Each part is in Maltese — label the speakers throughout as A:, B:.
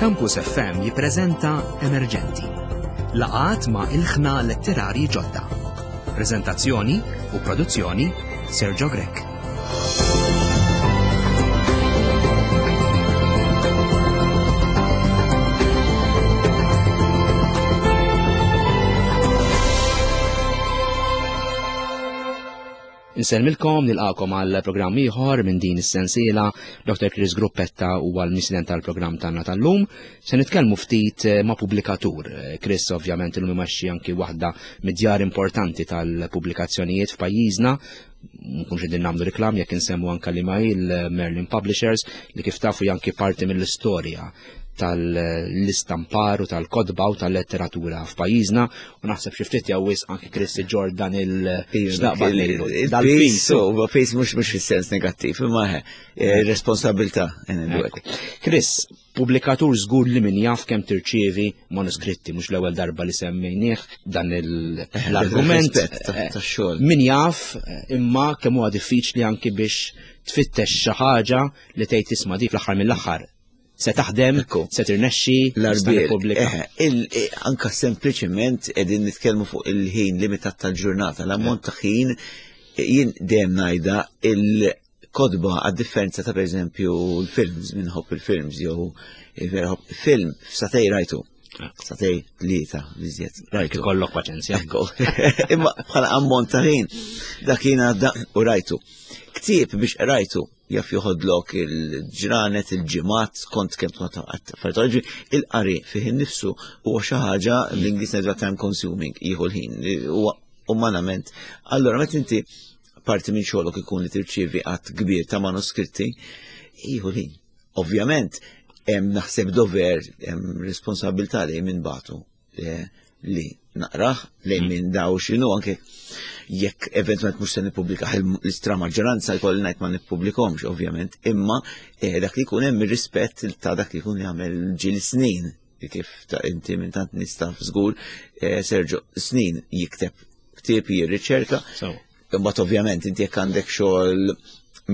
A: Campus FM jippreżenta Emerġenti. Laqat ma' ilħna letterarji ġodda. Preżentazzjoni u produzzjoni Sergio Grech. Insellmilkom nilqakom għal programm ieħor minn din is-sensiela Dr. Chris Gruppetta huwa l-misident tal-programm tagħna tal-lum. Se nitkellmu ftit eh, ma' pubblikatur. Eh, Chris ovvjament illum imexxi anki waħda mid-djar importanti tal-pubblikazzjonijiet f'pajjiżna nkunx qegħdin nagħmlu reklam jekk insemmu anke li ma' il-Merlin Publishers li kif tafu janki parti mill-istorja tal-istampar u tal-kodba u tal-letteratura f'pajjiżna u naħseb xi ftit jew wisq anke Chris Jordan il-xnaqbad
B: dal-pis. U pis mhux mhux fis-sens negattiv, imma eh, responsabilità.
A: Chris, pubblikatur żgur li min jaf kemm tirċievi manuskritti mhux l-ewwel darba li semmejnieh dan l-argument.
B: Eh,
A: min jaf eh, imma kemm huwa diffiċli anki biex tfittex xi ħaġa li tgħid tisma' dik fl-aħħar mill-aħħar se taħdem, se tirnexxi
B: l-Repubblika. Eh, eh, anka sempliċement qegħdin nitkellmu fuq il-ħin limitat tal-ġurnata, l-ammont ta' ħin jien dejjem ngħidha il-kodba għad-differenza ta' pereżempju l-films, minħobb il-films jew vera film f'satej rajtu. Satej tlieta biżjed.
A: Rajtu. Kollok paċenzja.
B: Imma bħala ammont ta' ħin dak jien għadda u rajtu. Ktieb biex rajtu jaf joħodlok il-ġranet, il-ġimgħat, kont kemm tkun affarijiet il-qari fih innifsu huwa xi ħaġa l-Ingliż ngħidu time consuming, jieħu l-ħin, huwa umanament. Allura meta inti parti minn xogħlok ikun li tirċievi għadd kbir ta' manuskritti, jieħu l-ħin. Ovvjament, hemm naħseb dover, hemm responsabilità li minn batu eh, li naqraħ li mm. minn daw xinu anke jekk eventualment mhux se nippubblika l-istra maġġoranza jkolli ngħid ma nippubblikomx ovvjament, imma eh, dak li jkun hemm ir-rispett ta' dak li jkun jagħmel ġil snin kif ta' inti minn tant nista' żgur eh, Sergio snin jikteb ktieb jirriċerka. Imbagħad ovvjament inti jekk għandek xogħol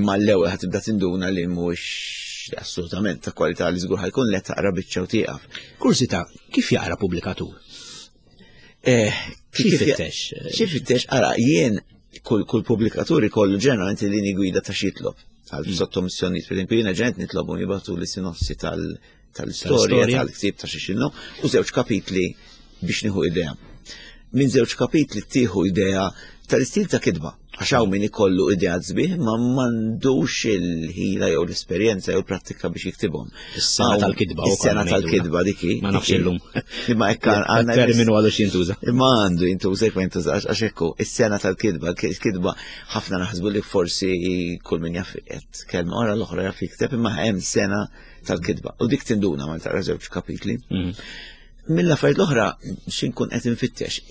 B: mal-ewwel ħad tibda tinduna li mhux assolutament ta' kwalità li żgur ħajkun li taqra biċċa u tieqaf.
A: Kursita, kif jaqra pubblikatur?
B: Eh,
A: kif fittex?
B: Xi fittex, ara, jien kull kull pubblikatur ikollu ġeneralment il-lini gwida ta' xitlob għal mm. sottomissjonijiet, per esempio, jiena ġeneralment nitlobu jibgħatu li sinossi tal- tal-istorja, tal-ktib ta' xi u żewġ kapitli biex nieħu idea. Minn żewġ kapitli tieħu idea tal-istil ta' kitba. Għax hawn min ikollu idea sbieħ ma m'għandux il-ħila jew l-esperjenza jew l-prattika biex jiktibhom.
A: Is-sena tal-kitba.
B: Is-sena tal-kitba diki.
A: Ma nafx illum.
B: Imma hekk għandna
A: terminu għadu x'jintuża.
B: Imma għandu jintuża jekk ma jintużax għax hekk is-sena tal-kitba, il-kitba ħafna naħsbu li forsi kull min jaf qed kelma ora l-oħra jaf jikteb imma hemm sena tal-kitba. U dik tinduna ma taqra żewġ kapitli. Mm. Mill-affarijiet l-oħra xinkun qed infittex.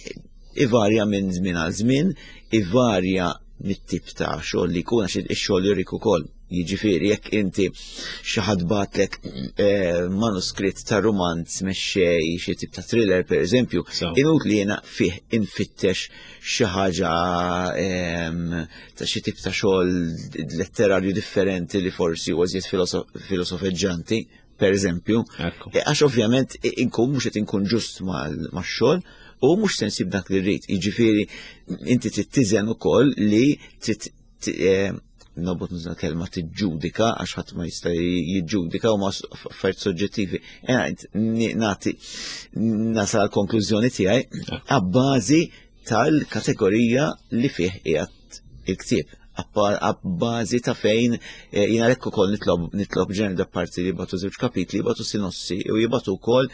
B: Ivarja minn żmien għal żmien, ivarja mit-tip ta' xogħol li jkun għax ix-xogħol jurik ukoll. Jiġifieri jekk inti xi ħadd batlek eh, manuskritt ta' rumanz mexxej xi tip ta' thriller pereżempju, inutli jiena fih infittex xi ħaġa ehm, ta' xi tip ta' xogħol letterarju differenti li forsi huwa żjed filosofeġġanti, per eżempju. E, għax ovvjament inkun mhux qed inkun ġust max-xogħol u mhux se nsib dak li rrid. Jiġifieri inti trid tiżen ukoll li trid e, nobot nuża kelma tiġġudika għax ħadd ma jista' jiġġudika u ma affarijiet soġġettivi. E, nagħti nasal konklużjoni tiegħi għabbażi tal-kategorija li fih qiegħed il-ktieb għabbażi ta' fejn eh, jina lekk ukoll nitlob nitlob ġener da parti li jibatu żewġ kapitli, jibatu sinossi u jibatu wkoll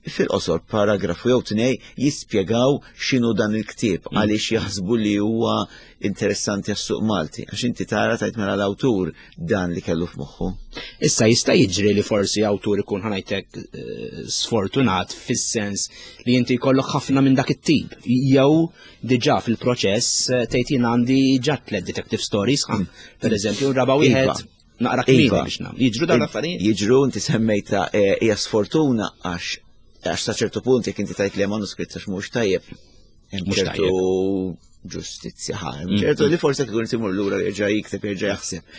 B: fil-qosor paragrafu jew tnej jispjegaw x'inhu dan il-ktieb mm. għaliex jaħsbu li huwa interessanti għas-suq Malti għax inti tara tajt mela l-awtur dan li kellu f'moħħu.
A: Issa jista' jiġri li forsi awtur ikun ħanajtek eh, sfortunat fis-sens li inti jkollok ħafna minn dak it-tip. Jew diġà fil-proċess eh, tgħid jien għandi ġa tliet detective stories, mm. per eżempju, raba wieħed iva. naqra kmieni iva. biex nagħmel. Jiġru dawn l-affarijiet?
B: Jiġru inti semmejta eh, hija sfortuna għax għax sa ċertu punt jekk inti tajt li manuskritt għax mhux tajjeb. Hemm ċertu. ġustizzja ħa. Ċertu li forse tkun timur lura jerġa' jikteb jerġa' jaħseb.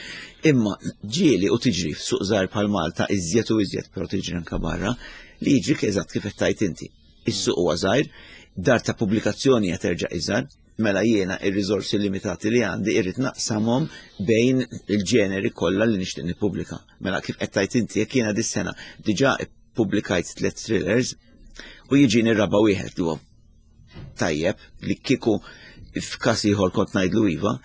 B: Imma ġieli u tiġri f'suq żgħar bħal Malta iżjed u iżjed, però tiġri anke barra, li jiġri eżatt kif qed tgħid inti. Is-suq huwa żgħir, dar ta' pubblikazzjoni qed terġa' iżgħar, mela jiena ir-riżorsi limitati li għandi irrid naqsamhom bejn il-ġeneri kollha li nixtieq nippubblika. Mela kif qed tgħid inti jekk jiena dis-sena diġà ppubblikajt tliet thrillers u jiġini r-raba' wieħed li huwa tajjeb li kieku f'każ ieħor kont ngħidlu iva,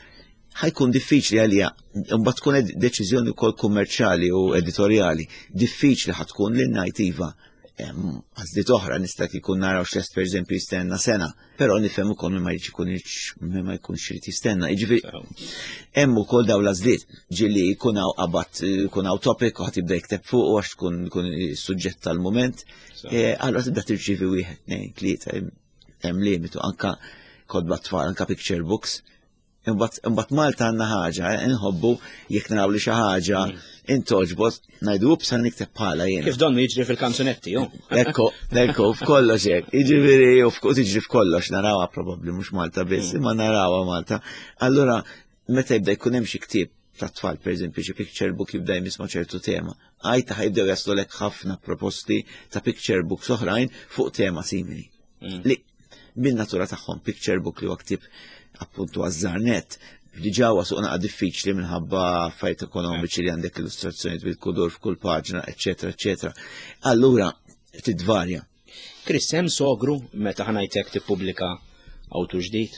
B: ħajkun diffiċli għalija, mbagħad tkun deċiżjoni wkoll kummerċjali u editorjali, diffiċli ħad tkun li ngħid iva. Għażliet oħra nista' kieku naraw x'lest pereżempju jistenna sena, però nifhem ukoll min ma jridx ikun min ma jkunx irid jistenna. Jiġifieri hemm ukoll dawn l-għażliet ġieli jkun hawn qabad jkun hawn topic u ħadd jibda jikteb fuq għax tkun jkun is-suġġett tal-mument. Allura tibda tirċievi wieħed, tnejn, tlieta, hemm limitu anka kotba tfal, anka picture books. Imbagħad Malta għandna ħaġa, inħobbu jekk naraw li xi ħaġa intoġbot, ngħidu ups ħa nikteb bħala jien.
A: Kif donnu jiġri fil-kanzunetti, ju?
B: Ekku, ekku, f'kollox hekk. Jiġifieri u tiġri f'kollox narawha probabbli mhux Malta biss, imma narawha Malta. Allura meta jibda jkun hemm xi ktieb ta' tfal, pereżempju, xi picture book jibda jmiss ma' ċertu tema. Għajta ħajbdew jaslulek ħafna proposti ta' picture books oħrajn fuq tema simili. Li bin-natura tagħhom picture book li huwa ktieb appuntu għaż-żarnet diġà huwa suq naqa' diffiċli minħabba affarijiet ekonomiċi li għandek illustrazzjonijiet bil-kudur f'kull paġna, eċetera, eċetera. Allura titvarja.
A: Chris, hemm sogru meta ħanajtek tippubblika awtur ġdid?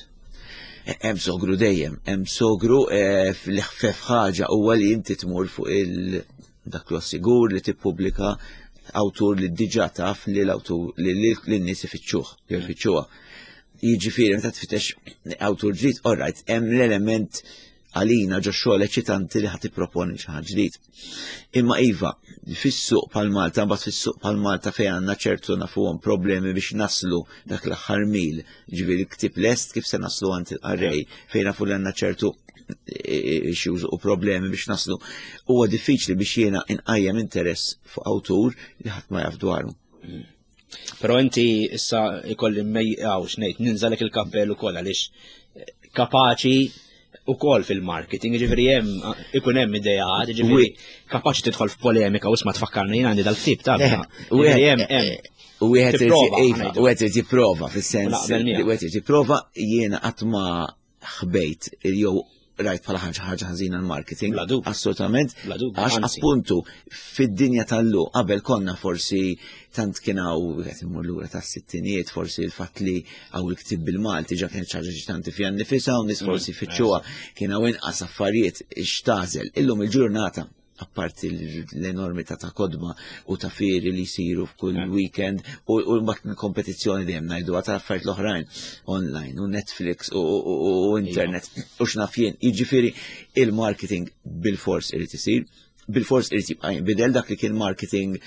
B: Hemm sogru dejjem, hemm sogru fl-ħfef ħaġa huwa li inti tmur fuq il dak li sigur li tippubblika awtur li diġà taf li l-awtur li l-nies ifittxuh, jew ifittxuha. Jiġifieri meta tfittex awtur ġdid, all right, hemm l-element għalina ġo xogħol eċitanti li ħadd tipproponi xi ħaġa ġdid. Imma iva, fis-suq bħal Malta, mbagħad fis-suq bħal Malta fejn għandna ċertu nafuhom problemi biex naslu dak l-aħħar mil, ġifieri ktieb lest kif se naslu għand il-qarrej, fejn nafu li għandna ċertu issues u problemi biex naslu. Huwa diffiċli biex jiena inqajjem interess fuq awtur li ħadd ma jaf dwaru.
A: Però inti issa ikolli mejqaw x'ngħid ninżalek il-kappell ukoll għaliex kapaċi ukoll fil-marketing, ġifieri hemm ikun hemm ideat, ġifieri kapaċi tidħol f'polemika u isma' tfakkarni jien għandi dal-ktib ta' ġifieri hemm hemm.
B: U wieħed irid jipprova fis-sens wieħed irid jipprova jiena qatt ma ħbejt jew rajt bħala ħaġa ħaġa ħażina l-marketing. Assolutament. Għax appuntu fid-dinja tal-lu qabel konna forsi tant kien hawn qed immur lura tas-sittinijiet forsi l-fatt li hawn il-ktieb bil-Malti ġa kienet ħaġa ġitanti fiha nnifisha u nies forsi fittxuha kien hawn inqas affarijiet x'tażel. Illum il-ġurnata apparti l-enormità ta' kodba u ta' fieri li jsiru f'kull weekend u mbagħad kompetizzjoni dejjem ngħidu ta' affarijiet l-oħrajn online u Netflix u internet u x'naf jien. Jiġifieri il-marketing bil-fors irid isir, bil-fors irid jibqa' jinbidel dak li kien marketing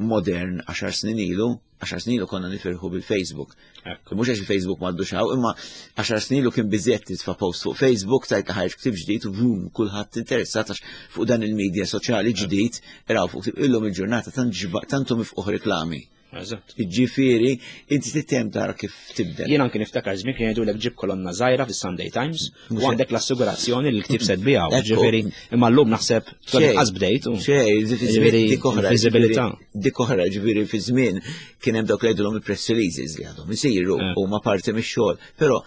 B: modern 10 snin ilu, 10 snin ilu konna nifirħu bil-Facebook. Mhux għax il-Facebook m'għaddu xaw, imma 10 snin ilu kien biżjed titfa' post fuq Facebook tajt li ħareġ ktieb ġdid u boom, kulħadd interessat għax fuq dan il-medja soċjali ġdid raw fuq illum il-ġurnata tantu mifquħ reklami. Ġifieri, inti tittem tara kif tibdel.
A: Jien anki niftakar żmien kien jgħidulek ġib kolonna żgħira fis-Sunday Times u għandek l-assigurazzjoni li l-ktieb se tbiegħu. Ġifieri, imma llum naħseb inqas bdejt.
B: Xejn, ġifieri dik oħra. Viżibilità. Dik oħra, ġifieri fi żmien kien hemm dawk li jgħidulhom il-press releases li għadhom isiru huma parti mix-xogħol, però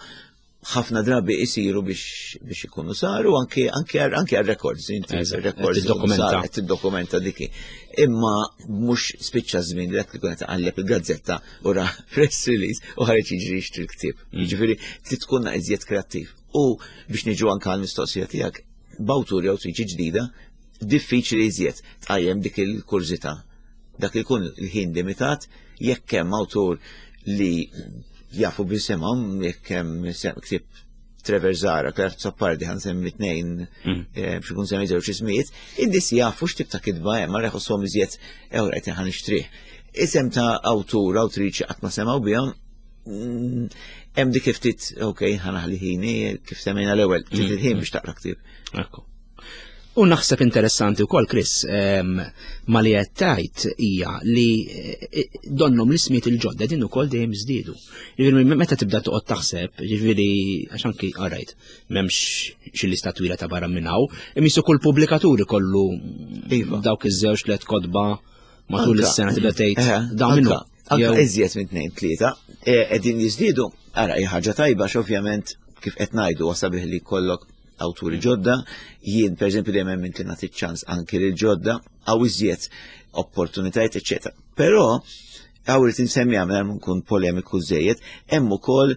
B: ħafna drabi isiru biex ikunu saru anke anke anke għal-records, inti records
A: tiddokumenta
B: tiddokumenta diki. Imma mhux spiċċa żmien li dak li kien taqalleb il-gazzetta u ra press release u ħareġ jiġri jixtri l-ktieb. Jiġifieri trid tkun iżjed kreattiv. U biex niġu anke għall-mistoqsija tiegħek, b'awtur jew awtriċi ġdida, diffiċli iżjed tqajjem dik il-kurżità. Dak ikun il-ħin limitat, jekk hemm awtur li jafu bisimhom, jekk hemm ktieb Trevor Zahra, Clare Azzopardi, ħa nsemmi tnejn, biex ikun semmi żewġ ismijiet, in-nies jafu x'tip ta' kitba hemm, ma jħossuhom iżjed ew qed ħa nixtrih. Isem ta' awtur, awtriċi qatt ma semgħu bihom, hemm dik ftit, ok, ħa naħli ħini, kif semmejna l-ewwel, ftit il-ħin biex taqra ktieb.
A: Ekku. U naħseb interessanti wkoll, Chris, ma li qed tgħid hija li eh, donnhom l-ismijiet il-ġodda din ukoll dejjem żdiedu. Jiġifieri meta tibda toqgħod taħseb, jiġifieri għax anki alright, m'hemmx xi lista twila ta' barra minn hawn, imisu kull pubblikatur ikollu iva. dawk iż-żewġ tliet kotba matul is-sena tibda tgħid eh, dawn minnu.
B: Anka iżjed minn tnejn tlieta, eh, qegħdin jiżdiedu, ara hija ħaġa tajba x'ovvjament kif qed ngħidu wasabih li kollok awturi ġodda, jien per eżempju dejjem hemm inti nagħti ċans anki lil ġodda għaw iżjed opportunitajiet, eċetera. Però għaw irid insemmi għamel nkun polemiku żejjed, hemm ukoll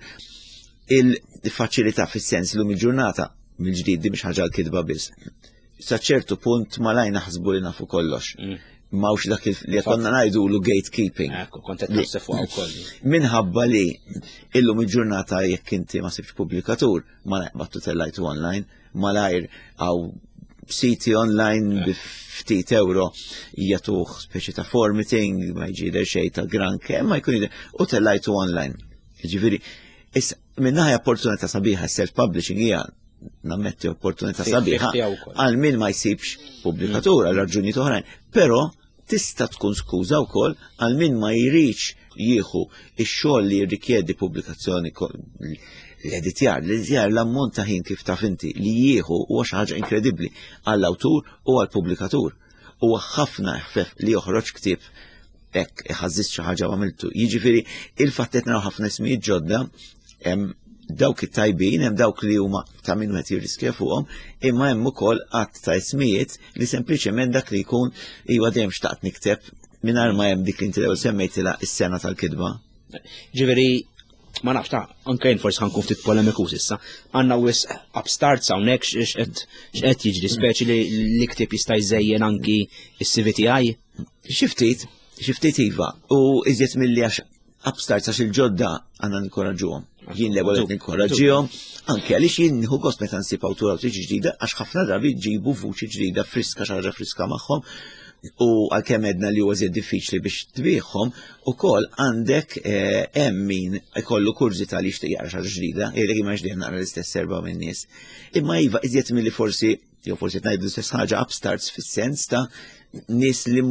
B: il-faċilità fis-sens l il-ġurnata mill-ġdid di mhix ħaġa l-kitba biss. Sa ċertu punt malaj naħsbu li nafu kollox. Mawx dak li konna ngħidu lu gatekeeping.
A: Ekku, kont qed naħseb fuq ukoll.
B: Minħabba li illum il-ġurnata jekk inti ma sibx pubblikatur, ma naqbattu tellajtu online, malajr għaw siti online bi ftit euro jatuħ speċi ta' formatting, ma jġider xej ta' granke, ma jkun jidher, u tellajtu online. Ġifieri, issa minnaħa opportunità sabiħa self-publishing hija nammetti opportunità sabiħa għal min ma jsibx pubblikatur għal raġunijiet oħrajn, però tista' tkun skuża wkoll għal min ma jridx jieħu ix-xogħol li jirrikjedi pubblikazzjoni l-editjar, l-editjar l-ammont ta' ħin kif taf inti li jieħu huwa xi ħaġa inkredibbli għall-awtur u għall-pubblikatur. Huwa ħafna eħfef li joħroġ ktieb hekk iħażżis xi ħaġa għamiltu. Jiġifieri il-fatt qed naraw ħafna ismijiet ġodda hemm dawk it-tajbin, hemm dawk li huma ta' min wieħed jirriskja fuqhom, imma hemm ukoll qatt ta' ismijiet li sempliċement dak li jkun iwa dejjem xtaqt nikteb mingħajr ma hemm dik li inti l-ewwel semmejtilha is-sena tal-kitba.
A: Ġifieri ma nafx ta' anke jien forsi ħankun ftit polemiku issa. Għandna wis upstarts hawnhekk x'qed jiġri speċi li l-ktieb jista' jżejjen anki s-CVTI.
B: Xi ftit, xi ftit iva, u iżjed milli għax upstarts għax il-ġodda għandna ninkoraġġuhom. Jien l-ewwel qed ninkoraġġihom, anke għaliex jien nieħu gost meta nsib awtur awtriċi ġdida għax ħafna drabi ġibu vuċi ġdida friska xi ħaġa friska magħhom u għalkemm edna li huwa żied diffiċli biex tbieħhom, ukoll għandek eh, hemm min ikollu kurżità li jixtieq jaqra xi ħaġa ġdida, jgħidlek imma ġdida naqra l-istess serba minn nies. Imma iva iżjed milli forsi jew forsi ngħidu l-istess ħaġa upstarts fis-sens ta' nies li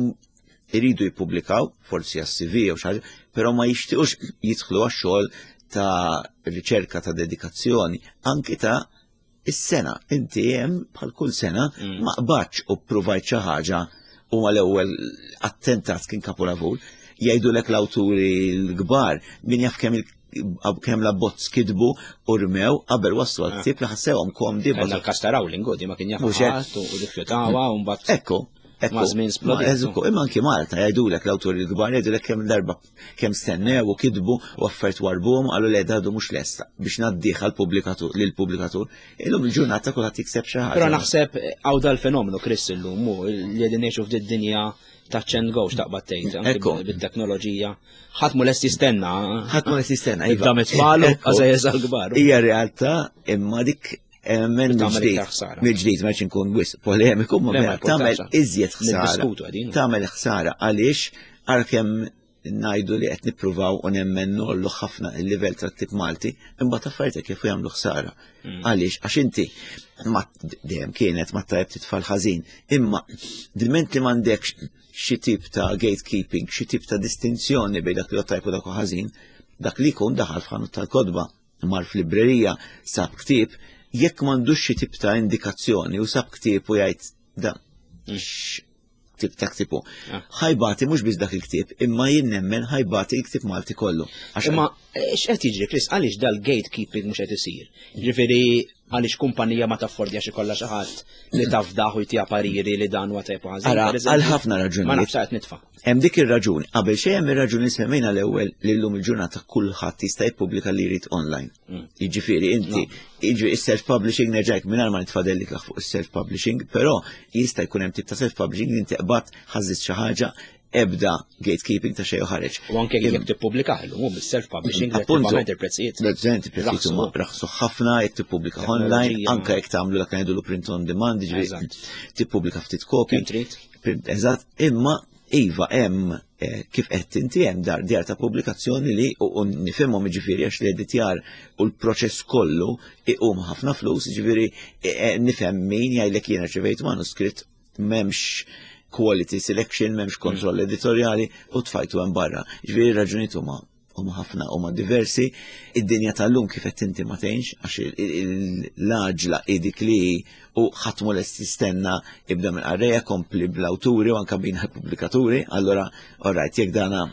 B: iridu jippubblikaw, forsi għas-CV jew xi ħaġa, però ma jixtiequx jidħlu għax-xogħol ta' riċerka ta' dedikazzjoni, anki ta' is-sena. Inti hemm bħal kull sena mm. ma qbadx u ppruvajt xi ħaġa u mal-ewwel attentat kien kapolavur. Jgħidulek l-awturi l-kbar min jaf kemm kemm l-abbozz kitbu u rmew qabel waslu għal ktieb li ħassewhom komdi.
A: Kellna l-każ ta' Rowling, ma kien jaf u rifjutawa u mbagħad.
B: Ekku, Ma'
A: żmien splodiet.
B: Imma anki Malta jgħidulek l-awturi l-kbar jgħidulek kemm darba kemm stennew u kitbu u affarijiet warbuhom qalu le dadu mhux lesta biex ngħaddih għall-pubblikatur lill-pubblikatur. Illum il-ġurnata kulħadd jikseb xi ħaġa.
A: Però naħseb hawn dal-fenomenu Chris illum hu li qegħdin ngħixu f'did dinja touch and go x'taqbad tgħid bit-teknoloġija. Ħadd mu lest jistenna.
B: Ħadd mu lest jistenna.
A: Iva. Ibda mit-tfal u għażejjeż għall-kbar.
B: Hija realtà imma dik Men mill-ġdid, mill-ġdid ma nkun wis polemiku, ma tagħmel iżjed ħsara. Tagħmel ħsara għaliex għalkemm ngħidu li qed nippruvaw u nemmen nollu ħafna il-livell tat-tip Malti, imbagħad affarijiet kif jagħmlu ħsara. Mm. Għaliex għax inti ma dejjem kienet ma tajb titfal ħażin, imma diment li m'għandekx xi tip ta' gatekeeping, xi tip ta' distinzjoni bejn dak li tajb u dak ħażin, dak li jkun daħal f'ħanut tal-kodba mar f'librerija sab ktieb, jekk m'għandux xi tip ta' indikazzjoni u sab ktieb u jgħid da tip ta' ktibu. Ah. Ħajbati mhux biss dak il-ktieb, imma jien nemmen ħajbati il-ktieb Malti kollu.
A: Imma eh, x'qed jiġri, Chris, għaliex dal-gatekeeping mhux qed isir? Ġifieri għaliex kumpanija ma taffordja xi kollha xi ħadd li tafdaħ u jtiha pariri li dan huwa tajb
B: ħażin. Għal ħafna raġunijiet.
A: Ma nafx qed nitfa'.
B: Hemm dik ir-raġuni, qabel xejn hemm ir-raġuni semmejna l-ewwel li llum il-ġurnata kulħadd jista' jippubblika li jrid online. Mm. Jiġifieri inti, jiġifieri is-self-publishing nerġajk mingħajr ma nitfadellik fuq is-self-publishing, però jista' jkun hemm tip ta' self-publishing li inti qbad ħażżit xi ħaġa ebda gatekeeping ta' xejn ħareġ.
A: U anke jekk tippubblika llum is-self-publishing relattivament il-prezzijiet.
B: Relattivament il-prezzijiet huma raħsu ħafna jekk tippubblika online, anke jekk tagħmlu dak ngħidu print on demand, jiġifieri tippubblika ftit kopji. Eżatt, imma Iva hemm eh, kif qed inti hemm dar djar ta' pubblikazzjoni li u nifhimhom jiġifieri għax l-editjar u l-proċess kollu iqum ħafna flus, jiġifieri eh, eh, nifhem min jgħidlek jiena rċevejt manuskritt m'hemmx quality selection, m'hemmx kontroll editorjali u tfajtu hemm barra. Jiġifieri raġunijiet huma huma ħafna huma diversi. Id-dinja tal-lum kif qed inti ma tgħinx għax l-għaġla hi dik li u ħadd mu lest jistenna ibda minn qarrejja kompli bl-awturi u anke bina l-pubblikaturi, allura alright jekk dana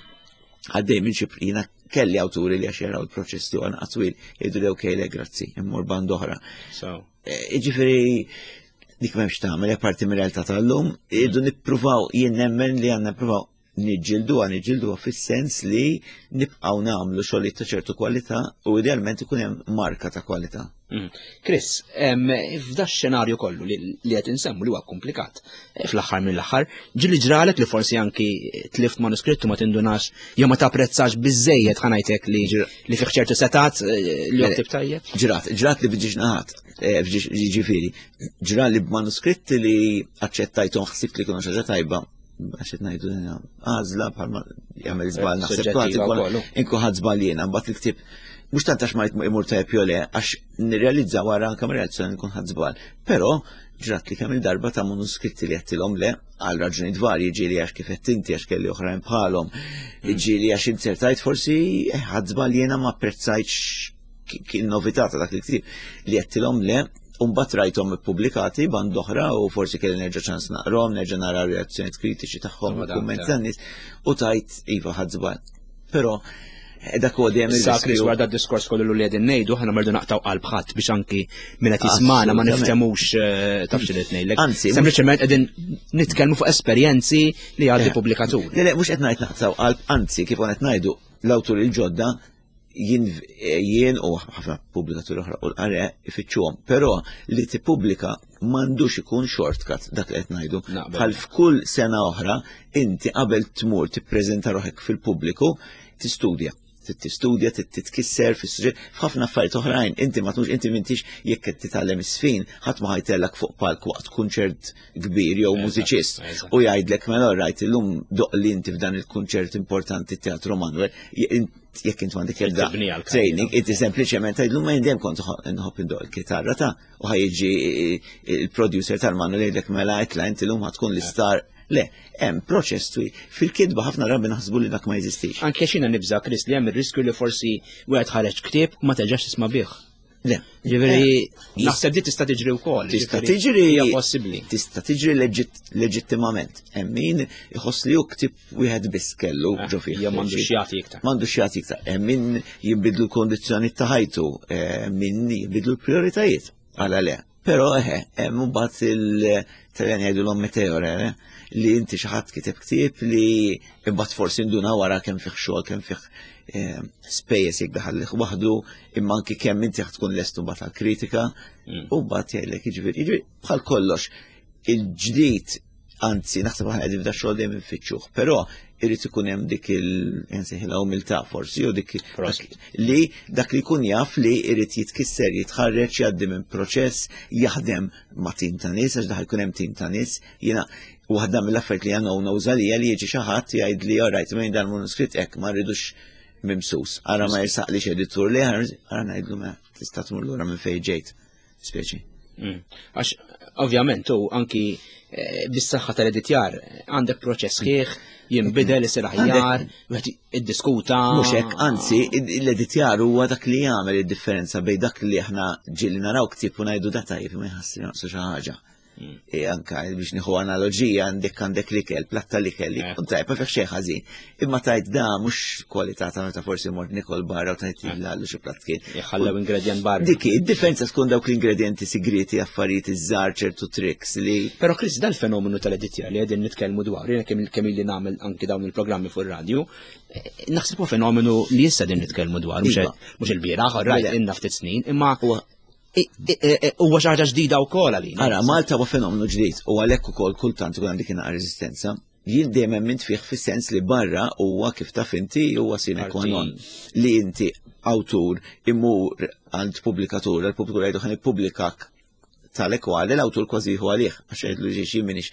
B: għaddej minn xi jiena kelli awturi li għax jaraw il-proċess tiegħu għan twil jgħidu li okej le grazzi, immur band oħra. Eh, jiġifieri dik m'hemmx tagħmel apparti mir-realtà tal-lum, irridu nippruvaw jien nemmen li għandna nippruvaw niġġilduha, niġġilduha fis-sens li nibqgħu nagħmlu xogħlijiet ta' ċertu kwalità u idealment ikun hemm marka ta' kwalità.
A: Mm. Chris, f'da xenarju kollu li qed insemmu li huwa komplikat, eh, fl-aħħar mill-aħħar, ġili ġralek li forsi anki tlift manuskrittu ma tindunax jew ma tapprezzax biżejjed ħanajtek li li fih ċertu setat eh, li ktib tajjeb.
B: Ġrat, ġrat li bġiġ naħat, eh, ġifieri, ġrat li b'manuskritti li aċċettajthom ħsibt li kienu xi tajba għax qed ngħidu għażla bħalma jagħmel żball naħseb kważi inkun ħadd żball jiena mbagħad il-ktieb mhux tant għax ma jmur tajjeb jew le għax nirrealizza wara anke reazzjoni nkun ħadd żball. Però ġrat li kemm il-darba ta' manuskritti li għedtilhom le għal raġunijiet varji ġieli għax kif qed inti għax kelli oħrajn bħalhom, ġieli għax inzertajt forsi eh, ħadd żball jiena ma apprezzajtx kien novità ta' dak il-ktieb li għedtilhom le Umbat rajthom ippubblikati band oħra u forsi kelli nerġa' ċans naqrom, nerġa' nara reazzjonijiet kritiċi tagħhom u kumment tan-nies u tajt iva ħadd żball. Però eh, dak huwa dejjem
A: Issa Chris wara dak diskors kollu li qegħdin ngħidu aħna mardu naqtaw qalb ħadd biex anki min qed jismana ma niftemux eh, taf xi qed ngħidlek. Anzi, sempliċement qegħdin nitkellmu fuq esperjenzi li għaddi eh. pubblikatur.
B: Le, le, mhux qed ngħid naqtaw qalb, anzi kif qed ngħidu l-awtur il-ġodda jien jien u ħafna pubblikaturi oħra u l-qare ifittxuhom, però li tippubblika m'għandux ikun shortcut dak li qed ngħidu. Bħal f'kull sena oħra inti qabel tmur tippreżenta ruħek fil-pubbliku tistudja tistudja, titkisser fis-suġġett, f'ħafna affarijiet oħrajn, inti ma tmux inti m'intix jekk qed titgħallem is-sfin, ħadd ma ħajtellak fuq palk waqt kunċert kbir jew mużiċist u jgħidlek mela rajt illum doq li inti f'dan il-kunċert importanti Teatru Manuel jekk int m'għandek ebda training, inti sempliċement tgħidlu ma jindem kont nħobb indoq il-kitarra ta' u ħajġi il-producer tal-Manuel jgħidlek mela itla inti llum tkun l-istar. Le, hemm proċess twil. Fil-kitba ħafna drabi naħsbu li dak ma jeżistix.
A: Anke xina nibża' Chris li hemm ir-riskju li forsi wieħed ħareġ ktieb u ma terġax tisma' bih.
B: Le.
A: Ġifieri eh, naħseb di tista' tiġri wkoll.
B: Tista' tiġri
A: hija possibbli.
B: Tista' tiġri leġittimament. Hemm min iħoss li hu ktieb wieħed biss kellu eh, ġo fih.
A: Jew m'għandux jagħti iktar.
B: M'għandux jagħti iktar. Hemm min jinbidlu l-kondizzjoni ta' ħajtu, eh, min jinbidlu l-prijoritajiet. Għala le. Però eħe, hemm imbagħad il-Taljan jgħidulhom meteore, eh, li inti xi ħadd kiteb ktieb li imbagħad forsi nduna wara kemm fih xogħol, kemm fih eh, spejjeż jekk daħallih waħdu, imma anki kemm inti tkun lest imbagħad għall-kritika, mm. u mbagħad jgħidlek jiġifieri, jiġifieri bħal kollox il-ġdid anzi naħseb aħna qegħdin f'da xogħol dejjem infittxuh, però irid ikun hemm dik il umiltà forsi u dik li dak li jkun jaf li irid jitkisser, jitħarreġ, jgħaddi minn proċess, jaħdem ma' tim ta' nies għax daħal ikun hemm tim ta' nies. Jiena waħda mill-affarijiet li għandna uża li li jiġi xi ħadd jgħid li alright minn dan manuskritt hekk ma rridux mimsus. Ara ma jirsaqlix editur li ara ngħidlu ma tista' tmur lura minn fejn ġejt.
A: Speċi. Mm. Għax, ovvjament, u anki eh, bis-saħħa tal-editjar għandek proċess sħiħ, jinbidel, isir aħjar, wieħed iddiskuta.
B: Mhux hekk, anzi, l-editjar huwa dak li jagħmel id-differenza bejn dak li aħna ġieli naraw ktieb u ngħidu da tajjeb ma jħassri naqsu xi ħaġa. Mm. E anka biex nieħu analoġija għandek għandek l-ikel, platta l-ikel, eh. kun tajb, ma fih xejn ħażin. Imma tajt da mhux kwalità ta' meta forsi mort nikol barra u tajt eh. lallu xi platt kien.
A: Jħallew ingredient barra.
B: Dik id-differenza tkun dawk l-ingredienti sigriti affarijiet iż-żgħar ċertu tricks li.
A: Però Chris dal-fenomenu tal-editjar li qegħdin nitkellmu dwar, jiena kemm kemm illi nagħmel anki dawn il-programmi fuq ir-radju, eh, naħseb huwa fenomenu li issa din nitkellmu dwar, mhux iva. il-bieraħ, rajt inna ftit snin, imma huwa xi ħaġa ġdida wkoll għalina.
B: Ara, Malta huwa fenomenu ġdid u għalhekk ukoll kultant ikun għandek inqas reżistenza. Jien dejjem emmint fih fis-sens li barra huwa kif taf inti huwa sine qua non li inti awtur imur għand pubblikatur, l-pubblikatur jgħidu ħan ippubblikak tal-ekwali l-awtur kważi jieħu għalih għax jgħidlu ġiex jien minix.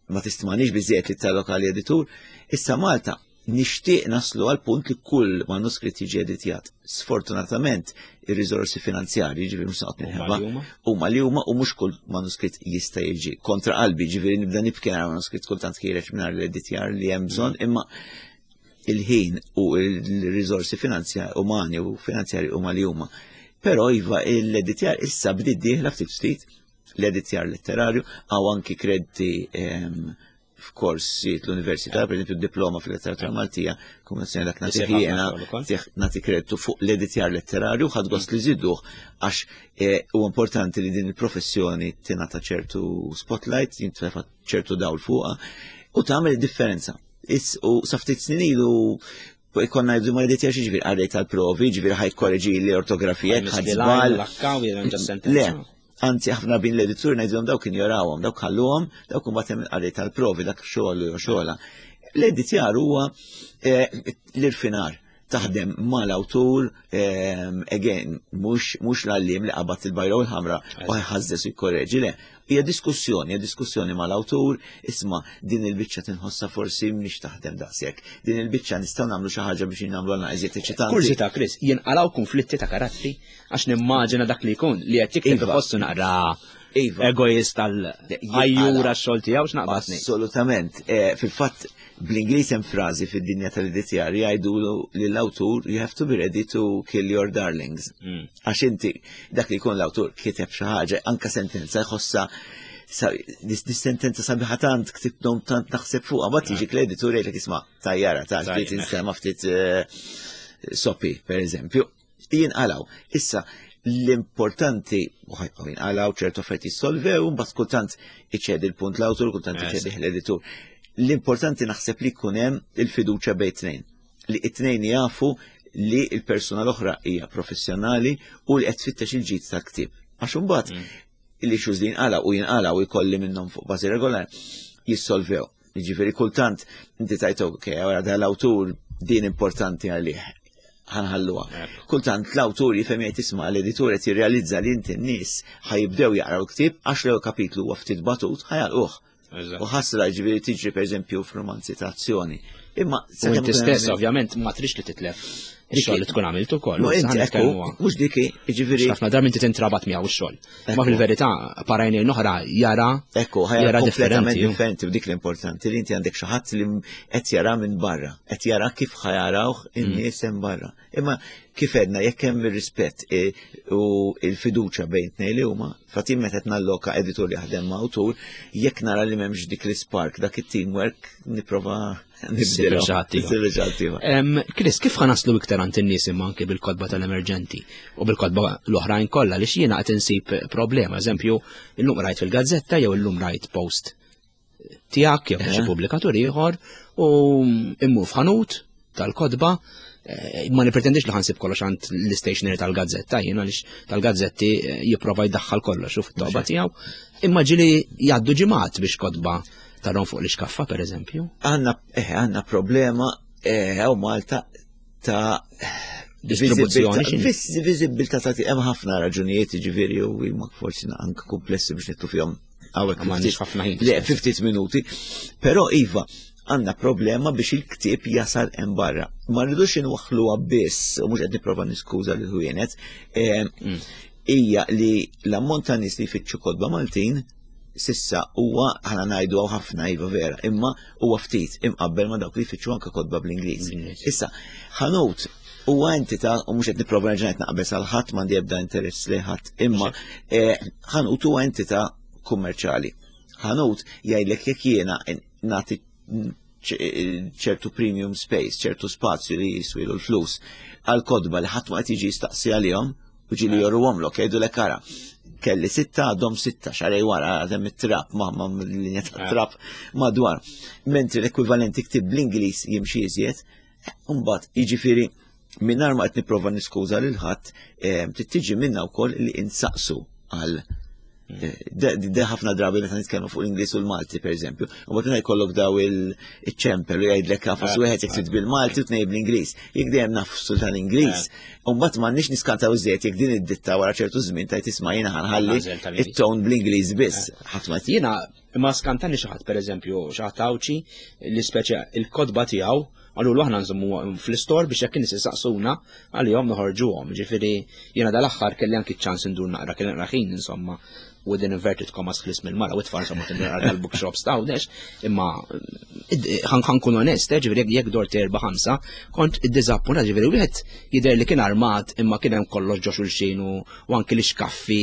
B: ma tistmanix biżejjed li talloka l-editur. Issa Malta nixtieq naslu għal punt li kull manuskritt jiġi editjat. Sfortunatament, ir-riżorsi finanzjarji, ġifieri mhux noqgħod minħabba, huma li huma u mhux kull manuskritt jista' jiġi kontra qalbi, ġifieri nibda nibki nara manuskritt kultant ħiereġ mingħajr l-editjar li hemm bżonn, imma il-ħin u l-riżorsi finanzjarji umani u finanzjarji huma li huma. Però iva l-editjar issa bdiet dieħla ftit ftit l-editjar letterarju għaw anki krediti ehm, f'korsijiet l-università, per esempio diploma fil-letteratura Maltija, kombinazzjoni dak nagħti jiena nagħti kreditu fuq l-editjar letterarju, ħadd gost li żiduh għax eh, u importanti li din il-professjoni tingħata ċertu spotlight, jintrefa ċertu dawl fuqha u tagħmel differenza. U sa ftit snin ilu konna jibdu ma editjar ġifieri għaddej tal-provi, ġifieri ħaj korreġi l-ortografija, ħadd żball. Le, anzi ħafna bin l-editur ngħidilhom dawk injorawhom, dawk ħalluhom, dawk imbagħad hemm qari tal-provi dak xogħol jew xogħla. L-editjar huwa eh, l-irfinar taħdem mal-awtur, eh, again, mhux l-għallim li qabad il-bajra u l-ħamra u ħażżes u jkorreġi, le. Hija diskussjoni, hija diskussjoni mal-awtur, isma' din il-biċċa tinħossha forsi mhix taħdem daqshekk. Din il-biċċa nistgħu nagħmlu xi ħaġa biex nagħmlu għalna iżjed eċitanti.
A: Kurżità, Chris, jinqalgħu konflitti ta' karattri għax nimmaġina dak li jkun li qed jikteb iva. iħossu naqra iva. egoist tal għajjura x-xogħol tiegħu x'naqbad
B: Assolutament. Eh, fil-fatt bl-Ingliż hemm frażi fid-dinja tal-editjar jgħidu lill-awtur you have to be ready to kill your darlings. Mm. Għax inti dak li jkun l-awtur kiteb xi ħaġa anka sentenza jħossha dis sentenza sabiħa tant ktibtom tant naħseb fuqha, ma tiġi l-editur jgħidlek isma' tajjara ta' ftit insema ftit eh, soppi, per eżempju jinqalaw. Issa, l-importanti, u jinqalaw ċertu affarijiet jissolvew, mbagħad kultant iċedi l-punt l-awtur, kultant eh, iċedi l-editur. L-importanti naħseb li jkun hemm il-fiduċja bejn tnejn. Li it-tnejn jafu li l-persuna l-oħra hija professjonali u li qed tfittex il-ġid tal-ktieb. Għax imbagħad mm. l-issues li jinqala u jinqala u jkolli minnhom fuq bażi regolari jissolvew. Jiġifieri kultant inti tajt ok, għara dal-awtur din importanti għalih ħanħalluha. Kultant l-awtur jifhem jgħid isma' l-editur qed jirrealizza li inti n-nies ħajibdew jaqraw ktieb għax l kapitlu huwa ftit batut ħajalquh. U ħasra ġifieri tiġri pereżempju f'romanzi ta' azzjoni.
A: Imma inti stess ovvjament ma trix li titlef ix-xogħol li tkun għamilt ukoll.
B: Mhux diki, jiġifieri.
A: Ħafna drabi inti tintrabat miegħu x-xogħol. Ma fil-verità parajni oħra jara
B: Ekku, jara differenti. Differenti u dik l-importanti li inti għandek xi ħadd li qed jara minn barra, qed jara kif ħajarawh in-nies hemm barra. Imma kif edna jekk hemm ir-rispett e, u l-fiduċja bejn tnejn li huma, fatim meta qed nalloka editur jaħdem ma' awtur, jekk nara li m'hemmx dik l-ispark, dak it-teamwork nipprova
A: nibdilu. Chris, kif ħanaslu iktar għand in-nies imma anke bil-kotba tal-emerġenti u bil-kotba l-oħrajn kollha li x'jiena qed insib problema, eżempju, illum rajt fil-gazzetta jew illum rajt post tiegħek jew xi pubblikatur ieħor u immur f'ħanut tal-kotba eh, ma nipretendix li ħansib kollox għand l-istationery tal-gazzetta jien għaliex tal-gazzetti eh, jipprova jdaħħal kollox u fit-toba tiegħu. Imma ġili jgħaddu ġimgħat biex kotba tarhom fuq l-iskaffa pereżempju.
B: Għandna eh, għandna problema hawn Malta ta'
A: distribuzzjoni.
B: Viżibilità ta' hemm ħafna raġunijiet ġifieri u huma forsi anke komplessi biex nittu fihom
A: Għawek m'għandix ħafna ħin.
B: Le, 50 minuti. Però iva, għandna problema biex il-ktieb jasal hemm barra. Ma rridux inwaħħluha biss, u mhux qed nipprova niskuża lil ħwienet, eh, mm. hija li l-ammont ta' nies li jfittxu kotba Maltin sissa huwa ħana ngħidu hawn ħafna iva vera, imma huwa ftit imqabbel ma dawk li jfittxu anke kotba bl-Ingliż. Issa, ħanut huwa entità u mhux qed nipprova nerġa' naqbeż għal ħadd m'għandi ebda interess li ħadd, imma eh, ħanut huwa entità kummerċjali. Ħanut jgħidlek jekk jiena nagħti ċertu premium space, ċertu spazju li jiswilu l-flus għal kodba li ħadd ma qed jiġi jistaqsi għalihom u ġili joruhomlok jgħidu lek ara. Kelli sitta għadhom sitta xarej wara għadhem it-trap ma ma linja ta' trap madwar. Mentri l-ekwivalenti ktib bl-Ingliż jimxi iżjed, mbagħad jiġifieri mingħajr ma qed nipprova niskuża lil ħadd, eh, tiġi minna wkoll li insaqsu għal. De ħafna drabi meta nitkellmu fuq l-Ingliż u l-Malti pereżempju, u mbagħad jkollok daw il-ċempel u jgħidlek għafas eh. wieħed jekk trid bil-Malti u tnej bl-Ingliż. Jekk dejjem nafsu tal-Ingliż, eh. u mbagħad m'għandniex niskantaw iżjed jekk din id-ditta wara ċertu żmien tajt isma' jiena ħanħalli it-ton bl-Ingliż biss. Eh.
A: Ħadd ma Jiena ma skantani xi ħadd pereżempju xi ħadd Għawdxi li speċi il-kotba tiegħu Għallu aħna nżommu fl-istor biex jekk nies isaqsuna għalihom noħorġuhom. Ġifieri jiena dal-aħħar kelli anki ċans indur naqra kelli naqra ħin insomma within inverted commas ħlis mill-mara u tfal insomma tindur naqra tal-bookshops ta' hawnhekk, imma ħankun onest, eh, ġifieri jekk dort erba' ħamsa, kont iddiżappuntat ġifieri wieħed jidher li kien armat imma kien hemm kollox ġo xulxin u anki l-ixkaffi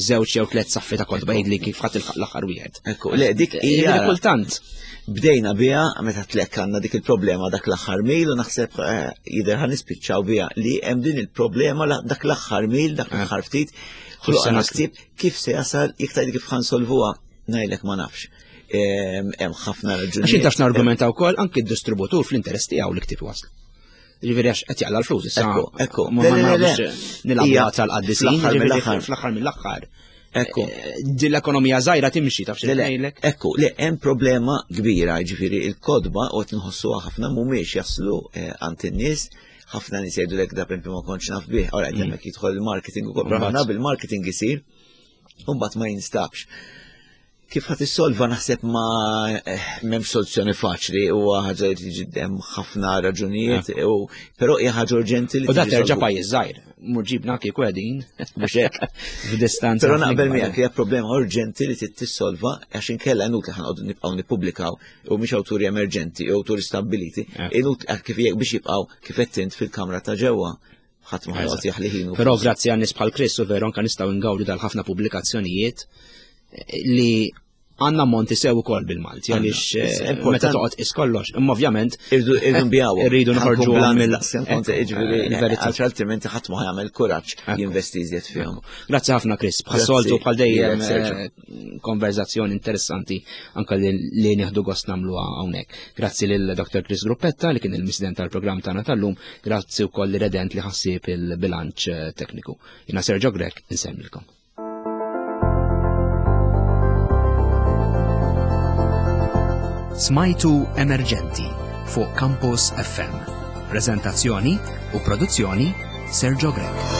A: żewġ jew tliet saffi ta' kotba jgħidli kif ħadd ilħaq l-aħħar wieħed.
B: Ekku, le dik hija
A: kultant.
B: Bdejna biha meta tlek għandna dik il-problema dak l-aħħar mil u naħseb eh, jidher ħan nispiċċaw biha li hemm din il-problema dak l-aħħar mil, dak l-aħħar ftit, ħloqna ħsieb kif se jasal iktar kif ħansolvuha ngħidlek ma nafx. Hemm ħafna raġunijiet.
A: Għax intax nargumenta wkoll anki d-distributur fl-interess tiegħu li ktieb waslu. Ġifieri għax qed jaqla l-flus
B: issa. Ekku, ekku.
A: Ma nilagħbu tal-qaddisin, fl-aħħar mill-aħħar.
B: Ekku.
A: Eh, din l-ekonomija żgħira timxi taf
B: xi Ekku, le hemm problema kbira, ġifieri il-kodba u qed nħossuha ħafna mhumiex jaslu eh, għand in-nies ħafna nies jgħidu lek da ma kontx naf bih, ora qed mm. hemmhekk jidħol il-marketing ukoll, ħafna bil-marketing isir u mbagħad ma jinstabx. Kif ħat issolva naħseb ma eh, m'hemmx soluzzjoni faċli u ħaġa li tiġi hemm ħafna raġunijiet eh. u però hija ħaġa urġenti li
A: U da terġa' pajjiż żgħir, mur ġibna kieku qegħdin
B: mhux hekk
A: f'distanza.
B: Però naqbel miegħek hija problema urġenti li trid tissolva għax inkella inutli ħanqogħdu nibqgħu nippubblikaw u mhix awturi emerġenti u awturi stabbiliti, eh. inutli kif biex jibqgħu kif qed fil-kamra ta' ġewwa ħadd ma ħajqgħod jaħli ħinu.
A: Però grazzi għan nies bħal Chris u veru anke nistgħu ngawdu dal-ħafna pubblikazzjonijiet eh, li għanna monti sew ukoll bil-Malti għaliex eh, meta toqgħod is kollox. Imma ovvjament
B: irridu nbijaw.
A: Irridu noħorġu
B: mill Għax altrimenti ħadd ma jagħmel kuraġġ jinvesti iżjed fihom.
A: Grazzi ħafna Chris, bħas-soltu bħal dejjem eh, konverzazzjoni interessanti anka li nieħdu gost nagħmluha hawnhekk. Grazzi lil Dr. Chris Gruppetta li kien il-misden tal-programm tagħna tal-lum, grazzi wkoll li redent li ħassieb il-bilanċ eh, tekniku. Jina Sergio Grek, insemmilkom.
C: Smajtu Emerġenti fuq Campus FM. Prezentazzjoni u produzzjoni Sergio Grek.